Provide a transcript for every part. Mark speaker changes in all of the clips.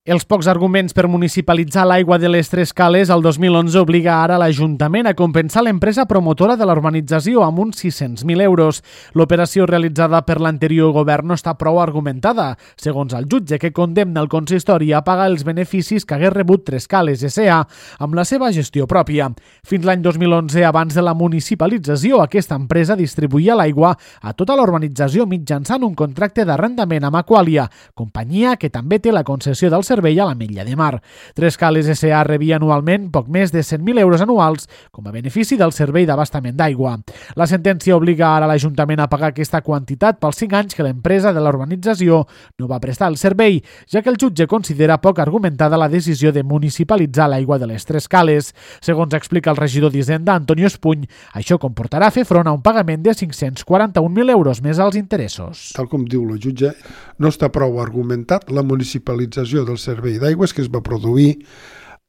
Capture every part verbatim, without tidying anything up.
Speaker 1: Els pocs arguments per municipalitzar l'aigua de les Tres Cales el dos mil onze obliga ara l'Ajuntament a compensar l'empresa promotora de la urbanització amb uns sis-cents mil euros. L'operació realitzada per l'anterior govern no està prou argumentada, segons el jutge que condemna el consistori a pagar els beneficis que hagués rebut Tres Cales S A amb la seva gestió pròpia. Fins l'any dos mil onze, abans de la municipalització, aquesta empresa distribuïa l'aigua a tota la urbanització mitjançant un contracte d'arrendament amb Aqualia, companyia que també té la concessió del servei a l'Ametlla de Mar. Tres Cales S A rebia anualment poc més de cent mil euros anuals com a benefici del servei d'abastament d'aigua. La sentència obliga ara l'Ajuntament a pagar aquesta quantitat pels cinc anys que l'empresa de la urbanització no va prestar el servei, ja que el jutge considera poc argumentada la decisió de municipalitzar l'aigua de les Tres Cales. Segons explica el regidor d'Hisenda, Antonio Espuny, això comportarà fer front a un pagament de cinc-cents quaranta-un mil euros més als interessos.
Speaker 2: Tal com diu el jutge, no està prou argumentat la municipalització del servei d'aigües que es va produir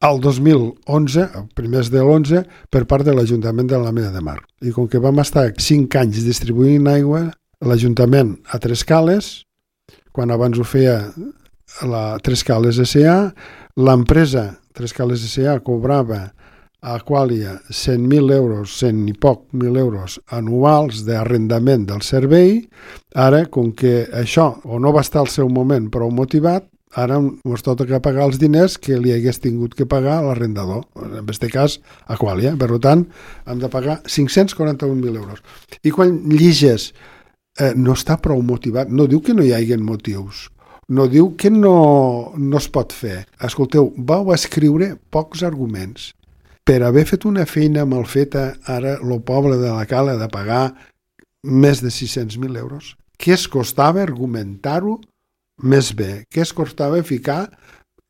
Speaker 2: el dos mil onze, a primers de l'onze, per part de l'Ajuntament de l'Ametlla de Mar. I com que vam estar cinc anys distribuint aigua, l'Ajuntament a Tres Cales, quan abans ho feia la Tres Cales S A, l'empresa Tres Cales S A cobrava a Aqualia cent mil euros, cent i poc mil euros anuals d'arrendament del servei. Ara, com que això o no va estar al seu moment prou motivat, ara ens toca pagar els diners que li hagués tingut que pagar l'arrendador, en aquest cas Aqualia. Per tant, hem de pagar cinc-cents quaranta-un mil euros. I quan lliges eh, no està prou motivat, no diu que no hi hagin motius, no diu que no, no es pot fer. Escolteu, vau escriure pocs arguments. Per haver fet una feina mal feta, ara el poble de la Cala ha de pagar més de sis-cents mil euros. Què es costava argumentar-ho més bé? Què es costava ficar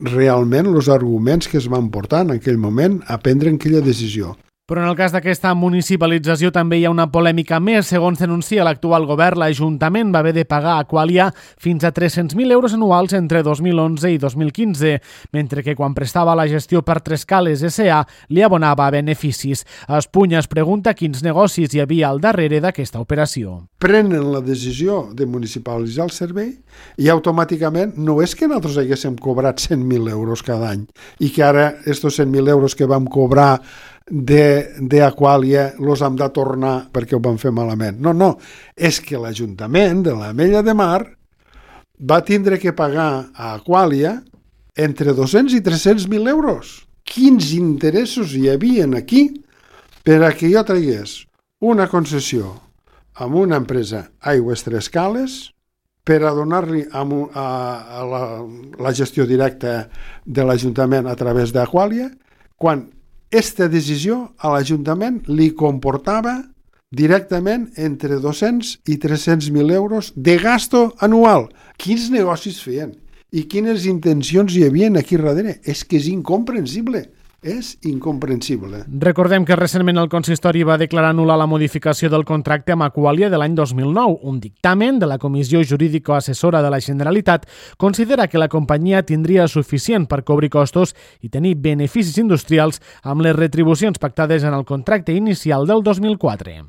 Speaker 2: realment els arguments que es van portar en aquell moment a prendre aquella decisió?
Speaker 1: Però en el cas d'aquesta municipalització també hi ha una polèmica més. Segons denuncia l'actual govern, l'Ajuntament va haver de pagar a Aqualia fins a tres-cents mil euros anuals entre dos mil onze i dos mil quinze, mentre que quan prestava la gestió per Tres Cales S A li abonava beneficis. Espuny es pregunta quins negocis hi havia al darrere d'aquesta operació.
Speaker 2: Prenen la decisió de municipalitzar el servei i automàticament no és que nosaltres haguéssim cobrat cent mil euros cada any i que ara estos cent mil euros que vam cobrar d'Aqualia els hem de tornar perquè ho van fer malament. No, no, és que l'Ajuntament de l'Ametlla de Mar va tindre que pagar a Aqualia entre dos-cents i tres-cents mil euros. Quins interessos hi havia aquí per a que jo tragués una concessió amb una empresa Aigües Tres Cales per a donar-li a, a, a la, la gestió directa de l'Ajuntament a través d'Aqualia, quan aquesta decisió a l'Ajuntament li comportava directament entre dos-cents i tres-cents mil euros de gasto anual. Quins negocis feien i quines intencions hi havia aquí darrere? És que és incomprensible. És incomprensible.
Speaker 1: Recordem que recentment el consistori va declarar nul·la la modificació del contracte amb Aqualia de l'any dos mil nou. Un dictamen de la Comissió Jurídico-Assessora de la Generalitat considera que la companyia tindria suficient per cobrir costos i tenir beneficis industrials amb les retribucions pactades en el contracte inicial del dos mil quatre.